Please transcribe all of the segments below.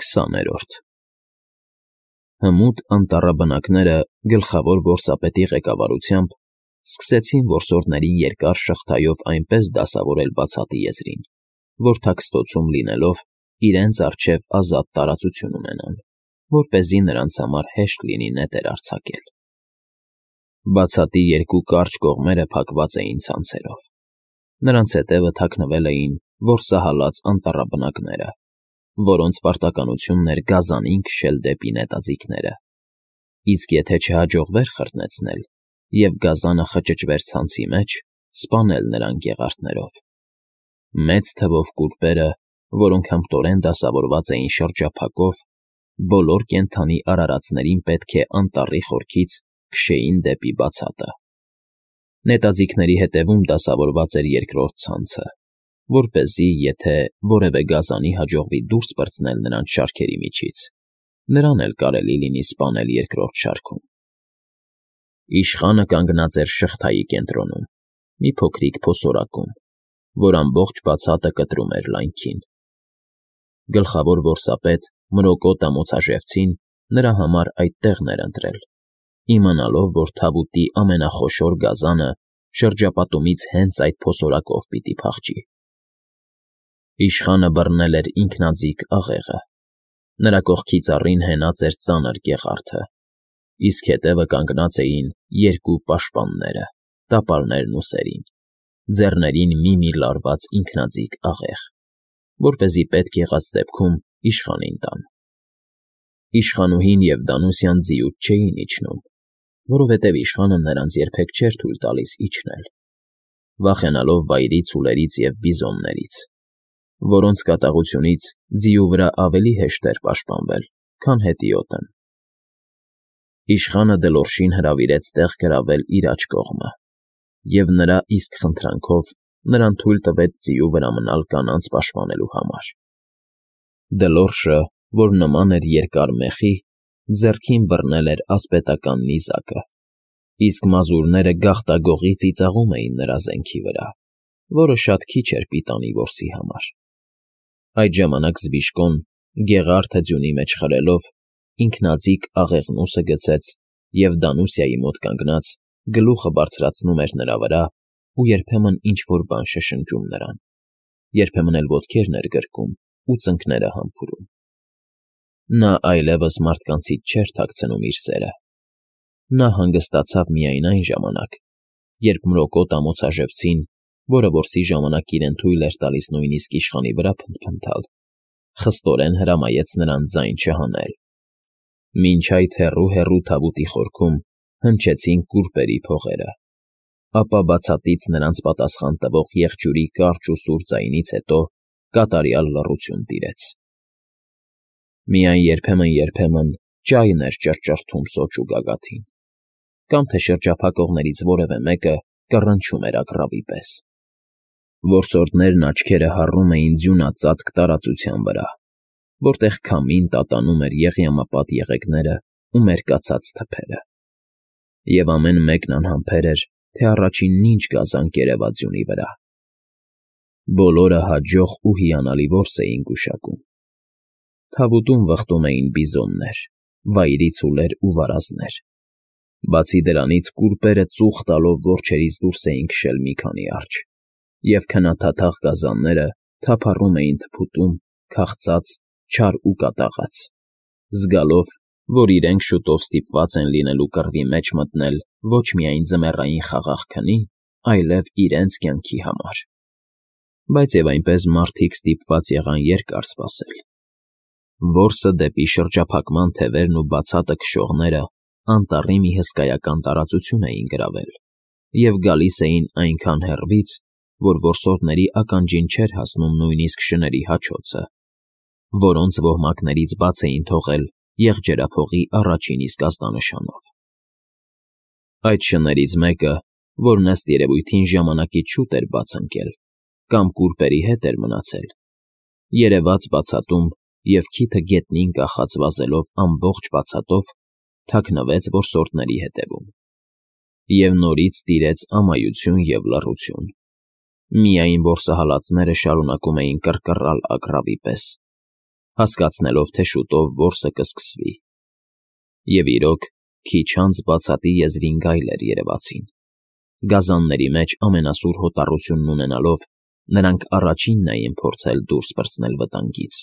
20-րդ Հմուտ անտառի բնակները գլխավոր որսապետի ղեկավարությամբ սկսեցին որսորդներին երկար շղթայով այնպես դասավորել բացատի եզրին, որ թաքստոցում լինելով իրենց առջև ազատ տարածություն ունենան, որպեսզի նրանց համար հեշտ լինի նետեր արձակել։ Բացատի երկու կարճ կողմերը փակված էին ցանցերով։ Նրանց հետևը թաքնվել էին որսահալած անտառաբնակները, որոնց պարտականությունն էր գազանին քշել դեպի նետաձիգները, իսկ եթե չհաջողվեր խրտնեցնել և գազանը խճճվեր ցանցի մեջ, սպանել նրան գեղարդներով։ Մեծ թվով կուրպերը, որոնք հմտորեն դասավորված էին շրջափակով, բոլոր կենդանի արարածներին պետք է անտառի խորքից քշեին դեպի բացատը։ Նետաձիգների հետևում դասավորված էր երկրորդ ցանցը, որպեսզի, եթե որևէ գազանի հաջողվի դուրս պրծնել նրանց շարքերի միջից, նրան էլ կարելի լինի սպանել երկրորդ շարքում։ Իշխանը կանգնած էր շղթայի կենտրոնում, մի փոքրիկ փոսորակում, որ ամբողջ բացատը կտրում էր լայնքին։ Գլխավոր որսապետ Մրոկոտ ամոցաժեղծին նրա համար այդ տեղն էր ընտրել, իմանալով, որ թավուտի ամենախոշոր գազանը շրջապատումից հենց այդ փոսորակով պիտի փախչի։ Իշխանը բռնել էր ինքնաձիգ աղեղը։ Նրա կողքի ծառին հենած էր ծանր գեղարդը, իսկ հետևը կանգնած էին երկու պաշտպանները, տապալներն ուսերին, ձեռներին մի լարված ինքնաձիգ աղեղ, որպեսզի պետք եղած դեպքում իշխանին տան։ Իշխանուհին և Դանուսյան ձիուց չէին իջնում, որովհետև իշխանը նրանց երբեք չէր թույլ տալիս իջնել, վախենալով վայրի ցուլերից և բիզոններից, որոնց կատաղությունից ձիու վրա ավելի հեշտ էր պաշտպանվել, քան հետիոտն։ Իշխանը Դլորշին հրավիրեց տեղ գրավել իր աջ կողմը, և նրա իսկ խնդրանքով նրան թույլ տվեց ձիու վրա մնալ կանանց պաշտպանելու համար։ Դլորշը, որ նման էր երկար մեխի, ձեռքին բռնել էր ասպետական նիզակը, իսկ մազուրները գաղտագողի ծիծաղում էին նրա զենքի վրա, որը շատ քիչ էր պիտանի որսի համար։ Այդ ժամանակ Զբիշկոն, գեղարդը ձյունի մեջ խրելով, ինքնաձիգ աղեղնուսը գցեց և Դանուսիայի մոտ կանգնած գլուխը բարձրացնում էր նրա վրա ու երբեմն ինչ֊որ բան շշնջում նրան, երբեմն էլ ոտքերն էր գրկում ու ծնկները համբուրում։ Նա այլևս մարդկանցից չէր թաքցնում իր սերը։ Նա հանգստացավ միայն այն ժամանակ, երբ Մրոկոտ ամոցաժեղծին, որը որսի ժամանակ իրեն թույլ էր տալիս նույնիսկ իշխանի վրա փնթփնթալ, խստորեն հրամայեց նրան ձայն չհանել։ Մինչ այդ հեռու թավուտի խորքում հնչեցին կուրպերի փողերը, ապա բացատից նրանց պատասխան տվող եղջյուրի կարճ ու սուր ձայնից հետո կատարյալ լռություն տիրեց։ Միայն երբեմն ճայն էր ճռճռթում սոճու գագաթին, կամ թե շրջափակողներից որևէ մեկը կռնչում էր ագռավի պես։ Որսորդներն աչքերը հառում էին ձյունածածկ տարածության վրա, որտեղ քամին տատանում էր եղյամապատ եղեգները ու մերկացած թփերը, և ամեն մեկն անհամբեր էր, թե առաջինն ինչ գազան կերևա ձյունի վրա։ Բոլորը հաջող ու հիանալի որս էին գուշակում։ Թավուտում վխտում էին բիզոններ, վայրի ցուլեր ու վարազներ։ Բացի դրանից կուրպերը ծուխ տալով որջերից դուրս էին քշել մի քանի արճ, և քնաթաթախ գազանները թափառում էին թփուտում, քաղցած, չար ու կատաղած, զգալով, որ իրենք շուտով ստիպված են լինելու կռվի մեջ մտնել ոչ միայն ձմեռային խաղաղ քնի, այլև իրենց կյանքի համար։ Բայց և այնպես մարդիկ ստիպված եղան երկար սպասել։ Որսը դեպի շրջափակման թևերն ու բացատը քշողները անտառի մի հսկայական տարածություն էին գրավել և գալիս էին այնքան հեռվից, որ որսորդների ականջին չէր հասնում նույնիսկ շների հաչոցը, որոնց ոհմակներից բաց էին թողել եղջերափողի առաջին իսկ ազդանշանով։ Այդ շներից մեկը, որն ըստ երևույթին ժամանակից շուտ էր բաց ընկել, կամ կուրպերի հետ էր մնացել, երևաց բացատում և քիթը գետնին կախած վազելով ամբողջ բացատով, թաքնվեց որսորդների հետևում։ Եվ նորից տիրեց ամայություն և լռություն։ Միայն որսահալածները շարունակում էին կռկռալ ագռավի պես, հասկացնելով, թե շուտով որսը կսկսվի։ Եվ իրոք, քիչ անց բացատի եզրին գայլեր երևացին։ Գազանների մեջ ամենասուր հոտառությունն ունենալով, նրանք առաջինն էին փորձել դուրս պրծնել վտանգից։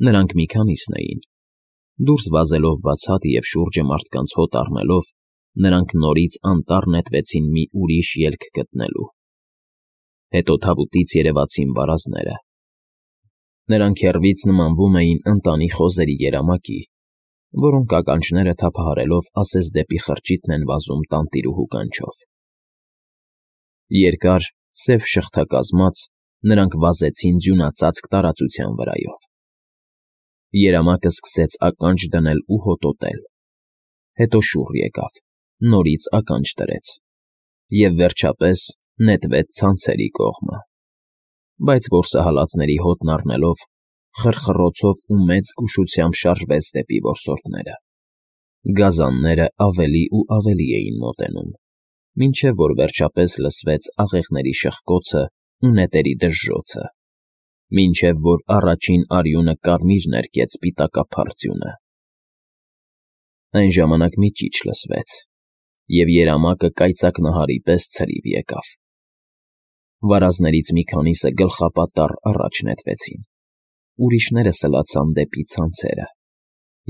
Նրանք մի քանիսն էին։ Դուրս վազելով բացատ և շուրջը մարդկանց հոտ առնելով, նրանք նորից անտառ նետվեցին մի ուրիշ ելք գտնելու։ Հետո թավուտից երևացին վարազները։ Նրանք հեռվից նմանվում էին ընտանի խոզերի երամակի, որոնք ականջները թափահարելով ասես դեպի խրճիթն են վազում տանտիրուհու կանչով։ Երկար, սև շղթակազմած, նրանք վազեցին ձյունածածկ տարածության վրայով։ Երամակը սկսեց ականջ դնել ու հոտոտել։ Հետո շուռ եկավ, նորից ականջ դրեց և, վերջապես, նետվեց ցանցերի կողմը։ Բայց որսահալածների հոտն առնելով, խռխռոցով ու մեծ զգուշությամբ շարժվեց դեպի որսորդները։ Գազանները ավելի ու ավելի էին մոտենում, մինչև որ վերջապես լսվեց աղեղների շխկոցը ու նետերի դժժոցը, մինչև որ առաջին արյունը կարմիր ներկեց սպիտակափառ ձյունը։ Այն ժամանակ մի ճիչ լսվեց, և երամակը կայծակ նահարի պես ցրիվ եկավ։ Վարազներից մի քանիսը գլխապատառ առաջ նետվեցին, ուրիշները սլացան դեպի ցանցերը,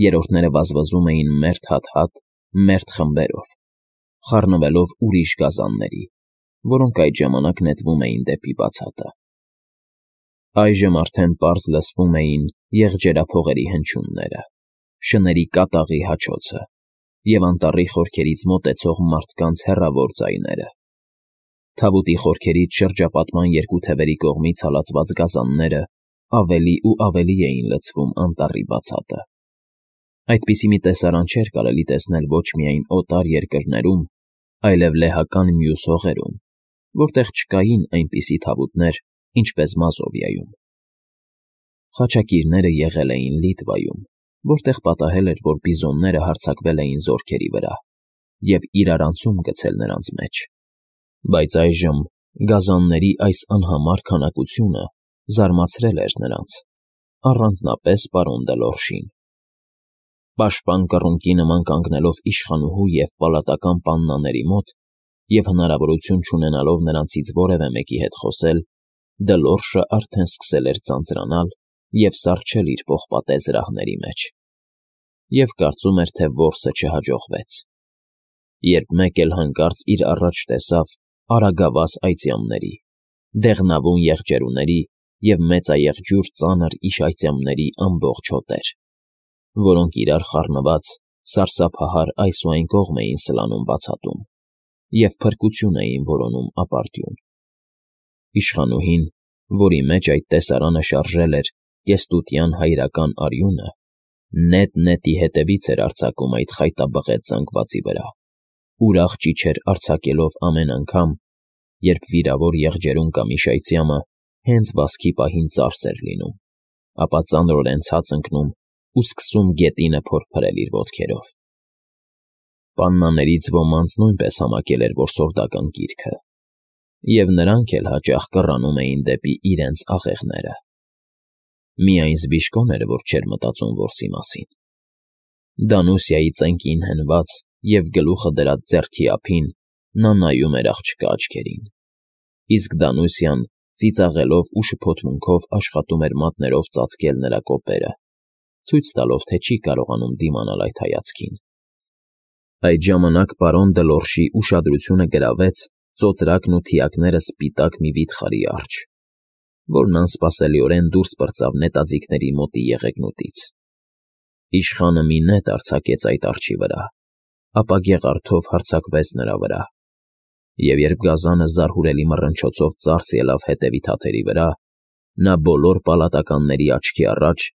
երրորդները վազվզում էին մերթ հատ-հատ, մերթ խմբերով, խառնվելով ուրիշ գազանների, որոնք այդ ժամանակ նետվում էին դեպի բացատը։ Այժմ արդեն պարզ լսվում էին եղջերափողերի հնչյունները, շների կատաղի հաչոցը և անտառի խորքերից մոտեցող մարդկանց հեռավոր ձայները։ Թավուտի խորքերից շրջապատման երկու թևերի կողմից հալածված գազանները ավելի ու ավելի էին լցվում անտառի բացատը։ Այդպիսի մի տեսարան չէր կարելի տեսնել ոչ միայն օտար երկրներում, այլև լեհական մյուս հողերում, որտեղ չկային այնպիսի թավուտներ, ինչպես Մազովիայում։ Խաչակիրները եղել էին Լիտվայում, որտեղ պատահել էր, որ բիզոնները հարձակվել էին զորքերի վրա և իրարանցում գցել նրանց մեջ։ Բայց այժմ գազանների այս անհամար քանակությունը զարմացրել էր նրանց, առանձնապես պարոն Դելորժին։ Պաշտպան կռունկի նման կանգնելով իշխանուհու և պալատական պաննաների մոտ և հնարավորություն չունենալով նրանցից որևէ մեկի հետ խոսել, Դելորժը արդեն սկսել էր ձանձրանալ և սառչել իր պողպատե զրահների մեջ, և կարծում էր, թե որսը չհաջողվեց, երբ մեկ էլ հանկարծ իր առաջ տեսավ արագավազ այծյամների, դեղնավուն եղջերուների և մեծաեղջյուր ծանր իշայծյամների ամբողջ հոտեր, որոնք իրար խառնված սարսափահար այս ու այն կողմ էին սլանում բացատում և փրկություն էին որոնում ապարդյուն։ Իշխանուհին, որի մեջ այդ տեսարանը շարժել էր կեստուտյան հայրական արյունը, նետ-նետի հետևից էր արձակում այդ խայտաբղետ զանգվածի վրա, ուրախ ճիչեր արձակելով ամեն անգամ, երբ վիրավոր եղջերուն կամ իշայծյամը հենց վազքի պահին ծարս էր լինում, ապա ծանրորեն ցած ընկնում ու սկսում գետինը փորփրել իր ոտքերով։ Պաննաներից ոմանց նույնպես համակել էր որսորդական կիրքը, և նրանք էլ հաճախ կռանում էին դեպի իրենց աղեղները։ Միայն Զբիշկոն էր, որ չէր մտածում որսի մասին։ Դանուսիայի ծենկին հենված և գլուխը դրած ձեռքի ափին նա նայում էր աղջկա աչքերին, իսկ Դանուսիան ծիծաղելով ու շփոթմունքով աշխատում էր մատներով ծածկել նրա կոպերը, ցույց տալով, թե չի կարողանում դիմանալ այդ հայացքին։ Այդ ժամանակ պարոն Դելորժի ուշադրությունը գրավեց ծոծրակն ու թիակները սպիտակ մի վիթխարի արջը, որն անսպասելիորեն դուրս պրծավ նետաձիգների մոտի եղեգնուտից։ Իշխանը մի նետ արձակեց այդ արջի վրա, ապա գեղարդով հարձակվեց նրա վրա, և երբ գազանը զարհուրելի մռնչոցով ծարս ելավ հետևի թաթերի վրա, նա բոլոր պալատականների աչքի առաջ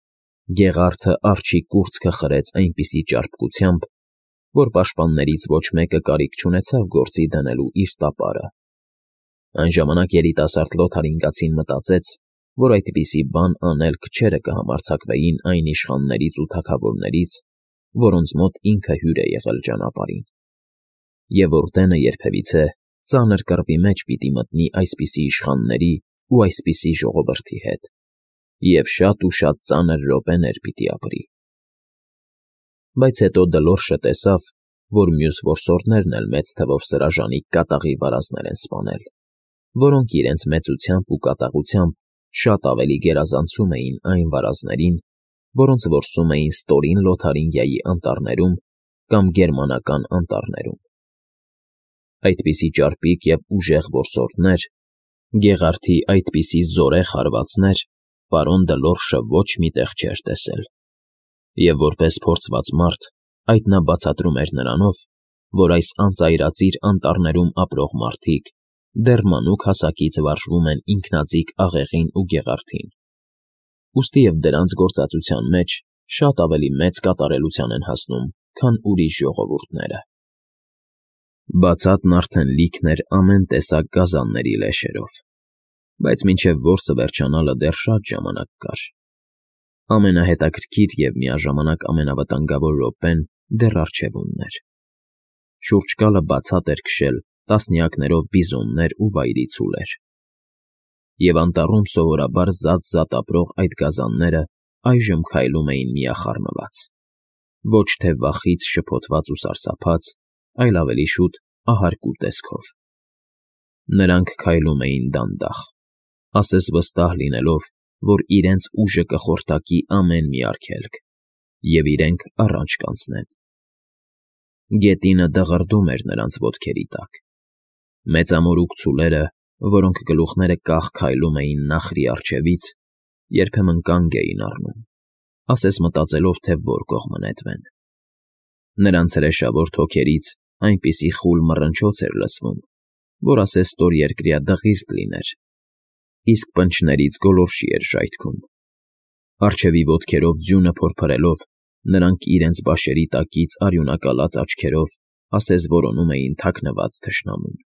գեղարդը արջի կուրծքը խրեց այնպիսի ճարպկությամբ, որ պաշտպաններից ոչ մեկը կարիք չունեցավ գործի դնելու իր տապարը։ Այն ժամանակ երիտասարդ լոթարինգացին մտածեց, որ այդպիսի բան անել քչերը կհամարձակվեին այն իշխաններից ու թագավորներից, որոնց մոտ ինքը հյուր է եղել ճանապարհին, և որ տենը երբևիցե ծանր կռվի մեջ պիտի մտնի այսպիսի իշխանների ու այսպիսի ժողովրդի հետ։ և շատ ու շատ ծանր րոպեներ պիտի ապրի։ Բայց հետո Դլորշը տեսավ, որ մյուս որսորդներն էլ մեծ թվով սրաժարի կատաղի վարազներ են սպանել, որոնք իրենց մեծությամբ ու կատաղությամբ շատ ավելի գերազանցում էին այն վարազներին, որոնց որսում էին ստորին Լոթարինգիայի անտառներում կամ գերմանական անտառներում։ Այդպիսի ճարպիկ և ուժեղ որսորդներ, գեղարդի այդպիսի զորեղ հարվածներ պարոն Դլորշը ոչ մի տեղ չէր տեսել, և որպես փորձված մարդ այդ նա բացատրում էր նրանով, որ այս անծայրածիր անտառներում ապրող մարդիկ դեռ մանուկ հասակից վարժվում են ինքնաձիգ աղեղին ու գեղարդին, ուստի և դրանց գործածության մեջ շատ ավելի մեծ կատարելության են հասնում, քան ուրիշ ժողովուրդները։ Բացատն արդեն լիքն էր ամեն տեսակ գազանների լեշերով, բայց մինչև որսը վերջանալը դեռ շատ ժամանակ կար։ Ամենահետաքրքիր և միաժամանակ ամենավտանգավոր րոպեն դեռ առջևումն էր։ Շուրջկալը բացատ էր քշել տասնյակներով բիզոններ ու վայրի ցուլեր, և անտառում սովորաբար զատ ապրող այդ գազանները այժմ քայլում էին միախառնված, ոչ թե վախից շփոթված ու սարսափած, այլ ավելի շուտ ահարկու տեսքով։ Նրանք քայլում էին դանդաղ, ասես վստահ լինելով, որ իրենց ուժը կխորտակի ամեն մի արգելք, և իրենք առաջ կանցնեն։ Գետինը դղրդում էր նրանց ոտքերի տակ։ Մեծամորուք ցուլերը, որոնք գլուխները կախ քայլում էին նախրի առջևից, երբեմն կանգ էին առնում, ասես մտածելով, թե որ կողմը նետվեն։ Նրանց հրեշավոր թոքերից այնպիսի խուլ մռնչոց էր լսվում, որ ասես ստորերկրյա դղիրդ լիներ, իսկ պնչներից գոլորշի էր ժայթքում։ Առջևի ոտքերով ձյունը փորփրելով, նրանք իրենց բաշերի տակից արյունակալած աչքերով ասես որոնում էին թաքնված թշնամուն։